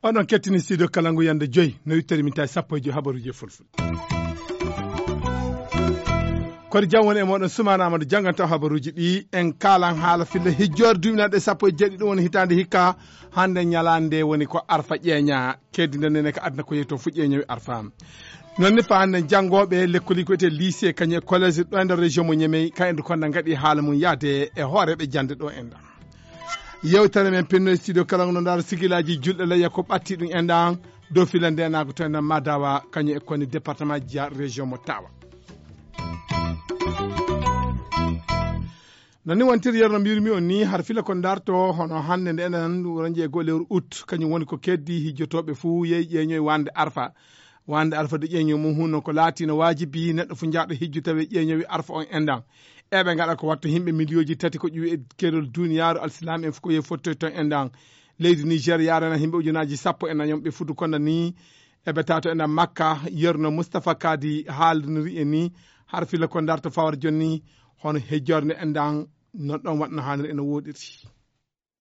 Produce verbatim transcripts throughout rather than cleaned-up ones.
Oɗon kettini studio Kalangu yande joyi, no wittiri min tawi sappo e joyi habaruji e fulfulde. Kodi jam woni e moɗon, Sumaana Amadu janganta habaruji ɗi. En kalan haala filla hijjoore duminaɗe sappo e jeeɗiɗi, ɗum woni hitaande hikka. Hande ñalaande nde woni ko Arfa ƴeeña. Keddi nden nene ko aduna ko yehi toon fu ƴeeñowi Arfa. Non ni fa hande jangooɓe lekkoli ko wiyetee lycée kañum e collège ɗo e nder région mo Ñemey, ka endu konda ngaɗi haala mum yaade e hooreeɓe jande ɗo en ɗan. Yewtere men pinno e studio Kalangu no ndaara sigilaaji julɗe layya ko ɓatti ɗum en ɗan dow filla ndenaagu to en ɗan Madawa kañum e koni département Dia région mo Tawa. Non ni wontiri yeru no mbiyirmi on ni, har filla ko darto hono hande nde enen ranji e goo lewru août, kañum woni ko keddi hijjotooɓe fuu yehi ƴeeñoy wande Arfa. Wande Arfa de ƴeeñoy mum hunno ko laatino waajibi neɗɗo fu jaaɗo hijju tawi ƴeeñowi Arfa on en ɗan. Eɓe ngaɗa ko watto himɓe miliyooji tati ko ƴuwi e keerol duniyaaru alsilaam en fu ko yehi fottoy ton en ɗan. Leydi Niger yarana himɓe ujunaaji sappo e nayon ɓe futu konda ni. Eɓe tato en ɗan Makka, yerno Mustapha Kadi haaldiniri e ni, har filla ko darto fawar jonni, hono hejjorde en ɗan, no ɗon waɗno haaniri eno woɗiri.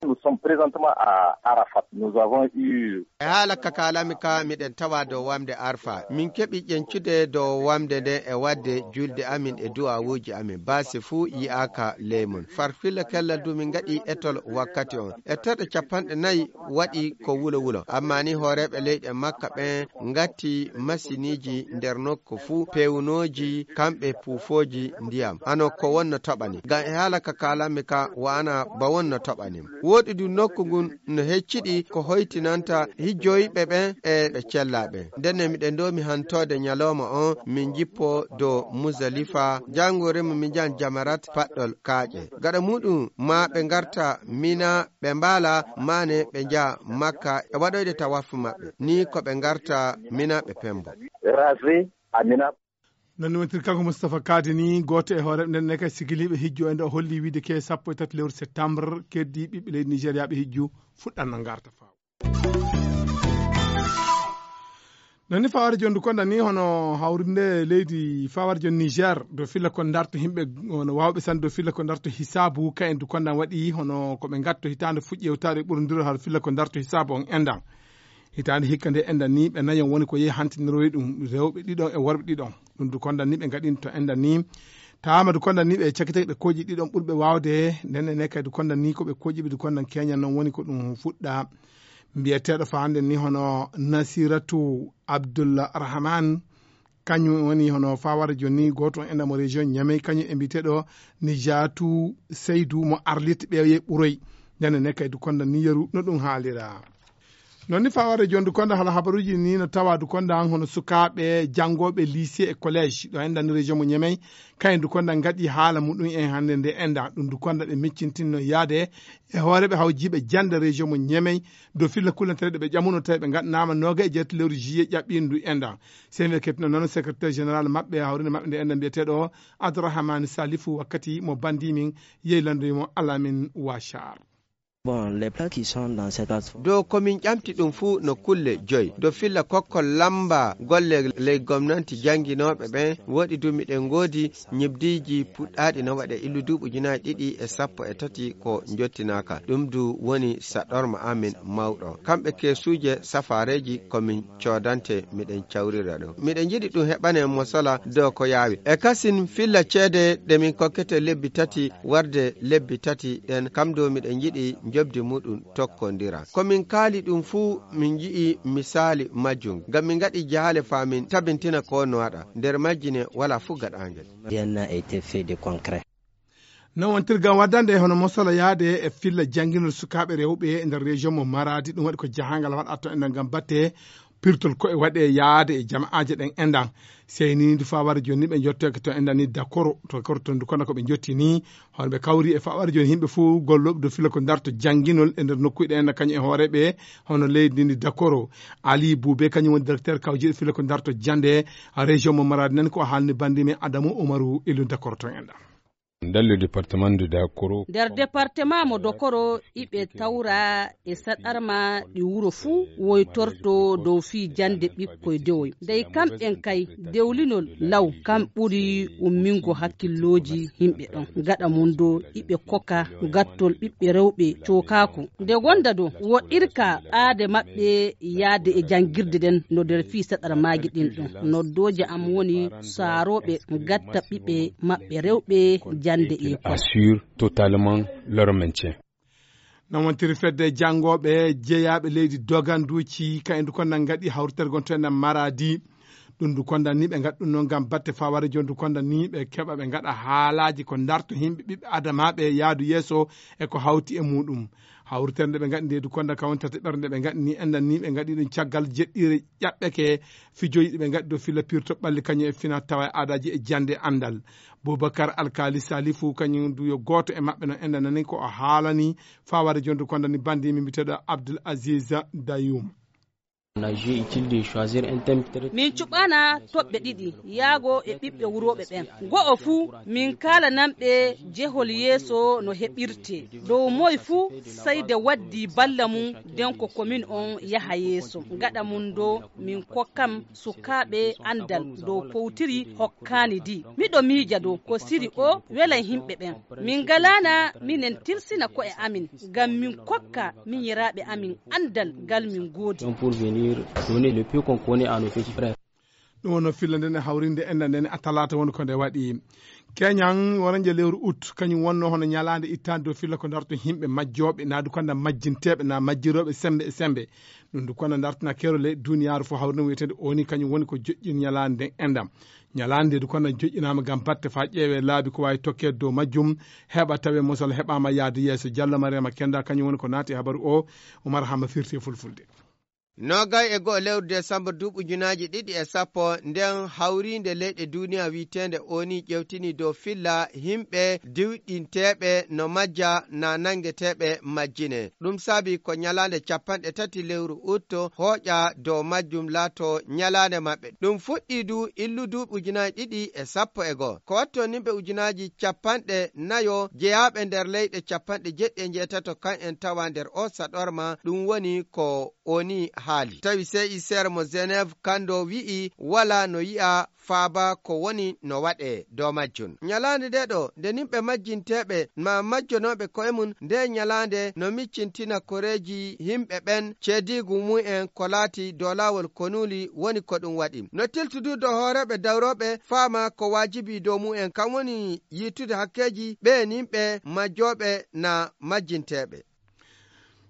Nous sommes présentement à Arafat. Nous avons eu E haala ka kaalami ka, miɗen tawa dow wamde Arfa. Min keɓi ƴencude dow wamde nde e wadde julde amin e du'awuuji amin. Baasi fuu yi'aaka ley mun. Far filla kellal du min ngaɗi etol wakkati on. E terɗe capanɗe nayi waɗi ko wulo wulo. Amma ni hooreeɓe leyɗe Makka ɓen ngatti masiniji nder nokku fuu, pewnooji, kamɓe puufooji ndiyam. Hano ko wonno toɓani. Ngam e haala ka kaalami ka wa'ana ba wonno toɓani. Woɗi du nokku ngun no hecciɗi ko hoytinanta hijjoyɓe ɓen e ɓe cellaaɓe. Ndenne miɗen doomi hantoode ñalooma on, min jippo dow Muzalifa, janngo remo min njahan Jamarat paɗɗol kaaƴe. Gaɗa muɗum ma ɓe ngarta Mina ɓe mbaala, mane ɓe njaha Makka e waɗoyde tawaafu maɓɓe. Ni ko ɓe ngarta Mina ɓe pembo. Raser à Mina. Non ni wontiri kanko Mustapha Kadi ni, gooto e hooreeɓe nden ne kay sigiliiɓe hijjo en ɗo holli wiide ke sappo e tati lewru septembre, keddi ɓiɓɓe leydi Nigéria ɓe hijju fuɗɗan no ngarta faaw. Non ni faware jondu konda ni hono hawrinde leydi faware jon Niger do filla ko darto himɓe hono wawɓe san do filla ko darto hisabu ka en du konda waɗi hono ko ɓe ngatto hitaande fuɗɗi yewtaade ɓurondiro har filla ko darto hisabu on endan. Hitaande hikka nde endan ni ɓe nayon woni ko yehi hantiniroyi ɗum rewɓe ɗiɗon e worɓe ɗiɗon. Ɗum du konda ni ɓe ngaɗinto endan ni. Tawama du konda ni ɓe cakitake ɓe kooƴi ɗiɗon ɓurɓe wawde. Nden e ne kay du konda ni ko ɓe kooƴi ɓe du konda keñan non woni ko ɗum fuɗɗa. Mbiyeteeɗo fa hannde ni hono Nasiratu Abdulrahman, kañum woni hono fawara joni gooto on enɗa mo région Niamey, kañum e mbiyeteeɗo Nijatu Seydou mo Arlit ɓeeye ɓuroy. Ñande ne kay du konda ni yeru no ɗum haalira. Non ni fawara joni du konda hala habaruji ni no tawa du konda an hono sukaaɓe janngooɓe lycée e collège ɗo enɗa ni région mo Niamey, kayen du konda ngaɗi haala muɗum en hannde nde enɗa ɗum du konda ɓe miccintinno yaade e hooreɓe hawjiɓe jannde région mo Niamey, dow filla kullantereɗe ɓe ƴamuno tawi ɓe gaɗanama noga e jeetati lewru juillet ƴaɓɓindu enɗa. Seni ɓe kettino noon secrétaire général maɓɓe hawrinde maɓɓe nde enɗa mbiyeteɗo Abdourahmane Salifou wakkati mo bandi min yehi landoyi mo Alamin Wachar. Bon, les plats qui sont dans cette asphalte. Dow ko min ƴamti ɗum fuu no kulle joyi. Dow filla kokkol lamba golle ley gomnanti jannginooɓe ɓen, woɗi du miɗen ngoodi ñibdiiji puɗɗaaɗi no waɗe illu duuɓi ujunaaji ɗiɗi e sappo e tati ko njottinaaka. Ɗum du woni saɗorma amin mawɗo. Kamɓe keesuuje safaareeji ko min coodante miɗen cawrira ɗum. Miɗen njiɗi ɗum heɓane mosala dow ko yaawi. E kasin filla ceede ɗe min kokkete lebbi tati warde lebbi tati ɗen, kam dow miɗen njiɗi njobdi muɗum tokkondira. Ko min kaali ɗum fuu, min nji'i misaali majjum. Ngam min ngaɗi jahaale faa min tabintina ko no waɗa. Nder majji ne walaa fuu gaɗaangel. Rien n'a été fait de concret. Non wontirgam waddande hono mosala yaade e filla jannginol sukaaɓe rewɓe e nder région mo Maradi. Ɗum waɗi ko jahangal waɗa to enen ngam batte pirtol koye waɗe yaade e jama'aaje ɗen enɗan. Sey ni ndu fawara joni ɓe jottoyke to enɗan ni Dakoro, to Dakoro to ndu kono ko ɓe jotti ni. Hono ɓe kawri e fawara joni yimɓe fof gollooɓe dow filla ko darto jannginol e nder nokkuuji ɗen enɗan kañum e hooreeɓe hono leydi ndi Dakoro. Ali Boubé kañum woni directeur kawjiiɗo filla ko darto jannde région mo Maradi nan ko haalni bandi men Adamu Umaru elu Dakoro to enɗan. Dans le département de Dakoro. Nder departement mo Dokoro, iɓe tawra e saɗarma ɗi wuro fuu woytorto dow fii jannde ɓikkoy dewoy. Dey kamɓen kay, dewlinol law kam ɓuri ummingo hakkillooji yimɓe ɗon. Gaɗa mum do, iɓe koka gattol ɓiɓɓe rewɓe cookaaku. Nde gonda do, woɗɗirka ɓaade maɓɓe yaade e janngirde ɗen no nder fii saɗarmaaji ɗin ɗon. Noddooje am woni saarooɓe gatta ɓiɓɓe maɓɓe rewɓe jannde école. Assure totalement leur maintien. Noon wontiri fedde janngooɓe jeyaaɓe leydi doganduuci, ka endu kon nan ngaɗi hawritere gon to enɗam Maradi. Ɗum ndu konda ni ɓe ngaɗi ɗum noon ngam batte fawarejo ndu konda ni ɓe keɓa ɓe ngaɗa haalaaji ko ndarto yimɓe ɓiɓɓe adamaaɓe yaadu yeeso e ko hawti e muuɗum. Hawritere nde ɓe ngaɗi nde ndu konda ka woni tataɓere nde ɓe ngaɗi ni enɗan ni ɓe ngaɗi ɗum caggal jeɗɗiire ƴaɓɓeke fijoji ɗi ɓe ngaɗi dow filla pirto ɓalli kañum e fina tawa e aadaaji e jannde e anndal. Boubacar Alkali Salifu kañum du yo gooto e maɓɓe no enɗan nani ko o haalani fawarejo ndu konda ni bandi mi mbiteɗo Abdoul Aziz Dayoum. On a jugé utile de choisir un thème très... Min cuɓana toɓɓe ɗiɗi yaago e ɓiɓɓe wurooɓe ɓen. Go'o fuu, min kaalananɓe jehol yeeso no heɓirtee. Dow moy fuu, sey de waddii balla mum, den ko komin on yaha yeeso. Gaɗa mum do, min kokkam sukaaɓe anndal dow powtiri hokkaani di. Miɗo miija do, ko siri o welay himɓe ɓen. Min ngalaana minen tilsina ko'e amin, ngam min kokka minyiraaɓe amin anndal ngal min goodi. Pour venir donner le peu qu'on connaît à nos petits frères. Ɗum wonno filla nden e hawrinde enɗan nden a talaata woni ko nde waɗi. Keñan woranje lewru ut, kañum wonno hono ñalaande ittaande dow filla ko ndarto yimɓe majjooɓe, naa du kanda majjinteeɓe, naa majjirooɓe sembe e sembe. Ɗum du kono ndartina keerol leyɗe duniyaaru fof hawrinde wiyeteende O N U kañum woni ko joƴƴin ñalaande nden enɗam. Ñalaande nde du kono joƴƴinaama ngam batte faa ƴeewee laabi ko waawi tokkeede dow majjum, heɓa tawee mosol heɓaama yaade yeeso. Jallo Mariama Kenda kañum woni ko naati e habaru o, Umar Hama firti e fulfulde. Noogay e go'o lewru desambur duuɓi ujunaaji ɗiɗi e sappo, nden hawriinde leyɗe duuniya wi'eteende O N U ƴewtini dow filla yimɓe diwɗinteeɓe no majja naa nangeteeɓe majjine. Ɗum saabi ko ñalaande cappanɗe tati lewru ut hooƴa dow majjum laato ñalaande maɓɓe. Ɗum fuɗɗii du illu duuɓi ujunaaji ɗiɗi e sappo e go'o. Ko watto yimɓe ujunaaji cappanɗe nayo jeyaaɓe nder leyɗe cappanɗe jeɗɗi e njeetato kan en tawa nder o saɗorma, ɗum woni ko O N U haali. Tawi C I C R mo Genève kando wi'i wala no yi'a faaba ko woni no waɗee dow majjum. Ñalaande nde ɗo, nde yimɓe majjinteeɓe ma majjonooɓe ko'e mum, nde ñalaande no miccintina koreeji yimɓe ɓen ceediigu mumen ko laati dow laawol konuuli woni ko ɗum waɗi. No tiltudu dow hooreeɓe dawrooɓe faama ko waajibi dow mumen, kan woni yiitude hakkeeji ɓeen yimɓe majjooɓe naa majjinteeɓe.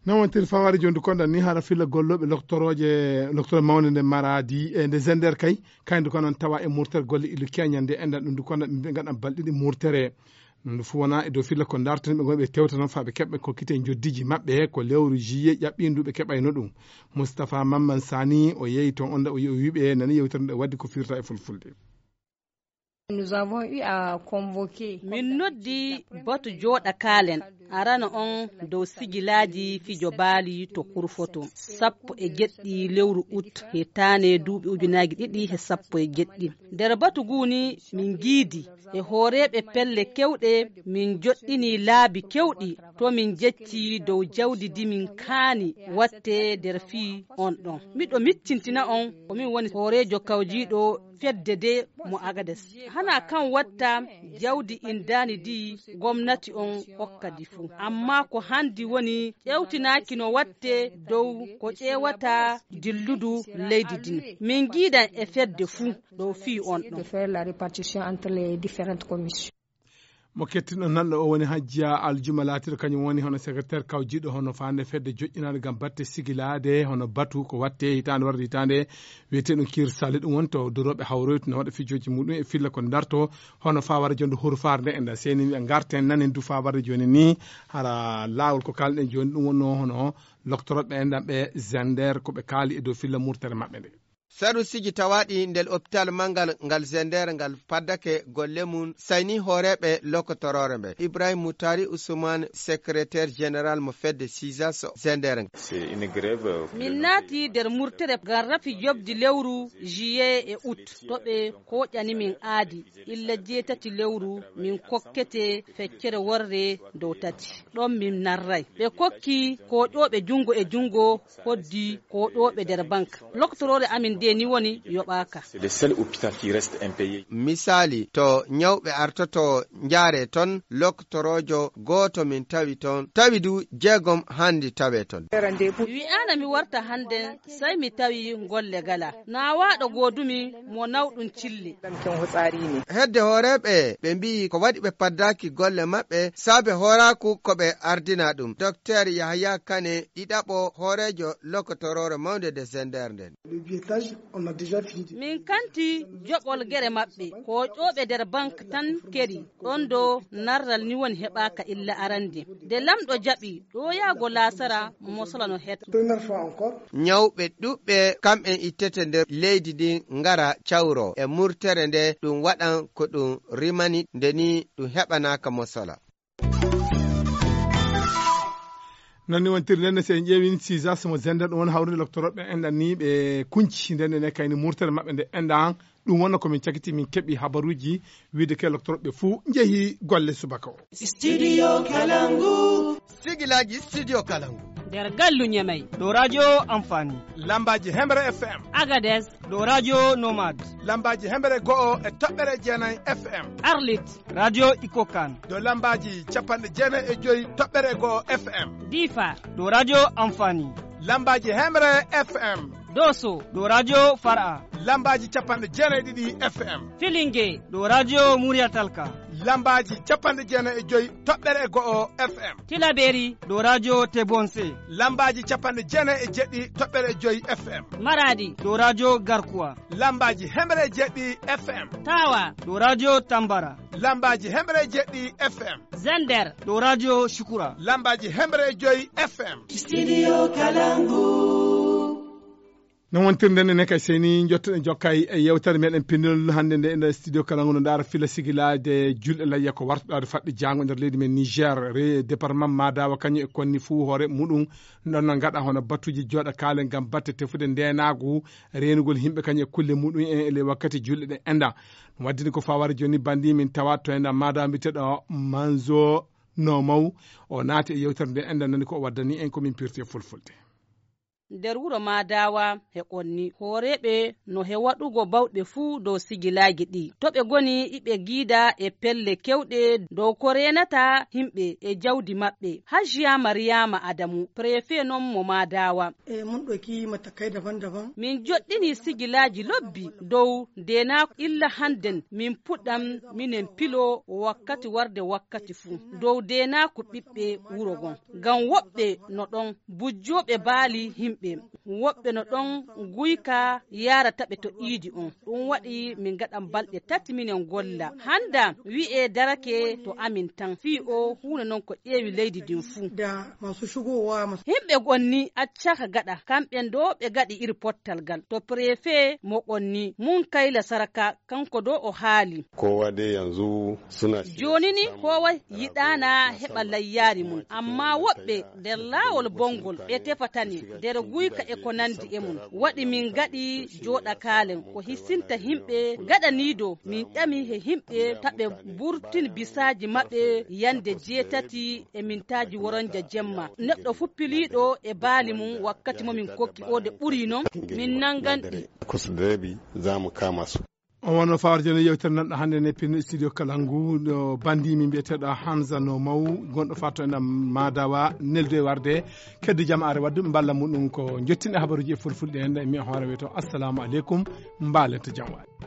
Noon wontiri fawaade jooni, konɗan ni hara filla gollooɓe loktorooje, loktorooje mawnde nde Maradi e nde Zender kay, kañum du ko noon tawa e murtere golle illu keñan nde enɗan ɗum du konɗan ɓe ngaɗan balɗe ɗiɗi murtere. Ɗum du fof wonaa e dow filla ko ndartani ɓe ngonɓe tewta noon faa ɓe keɓɓe kokkite njoddiiji maɓɓe ko lewru juillet ƴaɓɓindu ɓe keɓayno ɗum. Moustapha Mamman Sani o yeeyi toon on o wiɓe nani yewtere nde waddi ko firta e fulfulde. Nous avons eu à convoquer. Min noddi batu jooɗa kaalen arana on dow sigilaaji fijo baali to Kurfoto, sappo e jeɗɗi lewru ut hitaande duuɓi ujunaaji ɗiɗi e sappo e jeɗɗi. Nder batu guu ni min ngiidi e hooreeɓe pelle kewɗe, min joɗɗini laabi kewɗi to min jecci dow jawdi di min kaani watte nder fii on ɗon. Miɗo miccintina on ko min woni hooreejo kawjiiɗo fedde de mo Agades. Hana kan watta jawdi indaani di gomnati on hokka di fu. Amma ko handi woni ƴewtinaaki no watte dow ko ƴeewata dilludu leydi din. Min ngiidan e fedde fu dow fii on ɗon. De faire la répartition entre les différentes commissions. Mo kettinɗon nanɗo o woni Hajjiya Aljuma laatiiɗo kañum woni hono secrétaire kawjiiɗo hono faande fedde joƴƴinaande ngam batte sigilaade hono batu ko watte hitaande warde hitaande wiyeteeɗum Kiir Sali. Ɗum woni to durooɓe hawroytu no waɗa fijooji muɗum e filla ko ndarto hono faa wara jonde hurfaare nde e nda seeni wiya ngarten nanen du faa warde jooni ni hara laawol ko kaalɗen jooni ɗum wonno hono loktorooɓe enɗan ɓe Zender ko ɓe kaali e dow filla murtere maɓɓe nde. Sarusiiji tawaaɗi nder opitaal manngal ngal Zender ngal paddake golle mum, sayni hooreeɓe lokotoroore mbe. Ibrahim Mutari Usman, secrétaire général mo fedde Sizas Zender. Min naati nder murtere ngam rafi joɓdi lewru juillet e août, to ɓe kooƴani min aadi. Illa jeetati lewru min kokkete feccere worre dow tati. Ɗon min narray. Ɓe kokki kooƴooɓe junngo e junngo, hoddi kooƴooɓe nder bank. Loktoroore amin nde ni woni yoɓaaka. C'est le seul hôpital qui reste impayé. Misaali, to ñawɓe artoto njaare ton, loktoroojo gooto min tawi ton, tawi du jeegom handi tawe ton. Wi'aana mi warta hande, sai mi tawi golle gala. Na waaɗo goodumi mo nawɗum cille. Hedde hooreeɓe ɓe mbi'i ko waɗi ɓe paddaaki golle maɓɓe saabe hooraaku ko ɓe ardina ɗum. Dokteer Yahaya Kane, ɗiɗaɓo hooreejo lokotoroore mawnde nde Zender nden. Min kanti joɓol gere maɓɓe, ko ƴooɓe nder bank tan keri, ɗon do narral ni woni heɓaaka illa arande. Nde lamɗo jaɓi ɗo yaago laasara, mosola no het. Ñawɓe ɗuɓɓe kamɓen ittete nder leydi ndin ngara cawro e murtere nde ɗum waɗan ko ɗum rimani nde ni ɗum heɓanaaka mosola. Non ni wontiri nden, so en ƴeewin Sizas mo Zender, ɗum woni hawrude loktoroɓe enɗan ni ɓe kunci nden ne kayni murtere maɓɓe nde enɗan. Ɗum wonno ko min cakiti, min keɓi habaruuji wiide ke loktoroɓe fuu njehi golle subaka o. Studio Kalangu. Sigilaaji Studio Kalangu. Nder gallu Ñamey. Ɗo radio Amfani. Lambaaji Hemre F M. Agades. Ɗo radio Nomad. Lambaaji Hemre go'o e toɓɓere jeenay F M. Arlit. Radio Ikokan. Ɗo lambaaji capanɗe jeenay e joy toɓɓere go'o F M. Difa. Ɗo radio Amfani. Lambaaji Hemre F M. Doso. Ɗo radio Far'a. Lambaaji capanɗe jeenay ɗiɗi F M. Filinge. Ɗo radio Muriyatalka. Lambaaji capanɗe jeenay e joy toɓɓere go'o F M. Tilaberi. Ɗo radio Tebonse. Lambaaji capanɗe jeenay e jeɗɗi toɓɓere joy F M. Maradi. Ɗo radio Garkuwa. Lambaaji hemre jeɗɗi F M. Tawa. Ɗo radio Tambara. Lambaaji hemre jeɗɗi F M. Zender. Ɗo radio Shukura. Lambaaji hemre joy F M. Studio Kalangu. Non wontirde nden kay seni jottoɗen jokkay e yewtere meɗen pinol hannde nde nder studio Kalangu no ndaara fila sigilaade julɗe layya ko wartuɗaade faɗɗi jaango nder leydi men Niger, re département Madawa kañum e konni fuu hoore muɗum ɗon no ngaɗa hono battuji jooɗa kaalen ngam batte tefude ndeenaagu, reenugol yimɓe kañum e kulle muɗum en e ley wakkati julɗe ɗen enda. Ɗum waddini ko fawaade jooni bandi min tawa to enda Madawa mbiyeteɗo Manzo Nomaw, o naati e yewtere nde enda nani ko o waddani en ko min pirti e fulfulde. Nder wuro Madawa e Konni, hooreeɓe no he waɗugo bawɗe fuu dow sigilaagi ɗi. To ɓe goni iɓe giida e pelle kewɗe dow ko reenata yimɓe e jawdi maɓɓe. Hajiya Mariyama Adamu, prefe non mo Madawa. E, mun ɗauki matakai daban-daban. Min joɗɗini sigilaaji lobbi dow ndeenaaku illa hannden min puɗɗam minen pilo wakkati warde wakkati fuu dow ndeenaaku ɓiɓɓe wuro ngon. Ngam woɓɓe no ɗon bujjooɓe baali yimɓe, woɓɓe no ɗon guyka yaarata ɓe to iidi on. Ɗum waɗi min ngaɗan balɗe tati minen golla. Hannda wi'ee darake to amin tan. Fii oo huunde non ko ƴeewi leydi ndin fuu. Da masu shigowa masu. Yimɓe Konni accaaka gaɗa, kamɓe ɗoo ɓe ngaɗi iri pottal ngal. To prefe mo Konni, Munkayla Saraka, kanko ɗoo o haali. Kowa dai yanzu suna shirye Jooni ni su samu kowa yiɗaana heɓa layyaari mum, amma woɓɓe nder laawol bonngol ɓe tefata ni, nder guyka e ko nanndi e mum. Waɗi min ngaɗi jooɗa kaalen ko hisinta yimɓe gaɗaniiɗo min ƴami he yimɓe ta ɓe mburtin bisaaji maɓɓe yande jeetati e mintaaji woronja jemma. Neɗɗo fuu piliiɗo e baali mum wakkati mo min kokki o de ɓuri non, min nanngan ɗi. Kusa da rabi za mu kama su. On wonno fawar jooni yewtere nanɗo hannde ne pin studio Kalangu ɗo bandi min mbiyeteɗo Hamza No Maw gonɗo fatto en Madawa neldo e warde keddu jamaare waddu mballa muɗum ko jottinɗe habaruji e fulfulde en mi hoore weto assalamu aleykum mbalenta jam waɗi.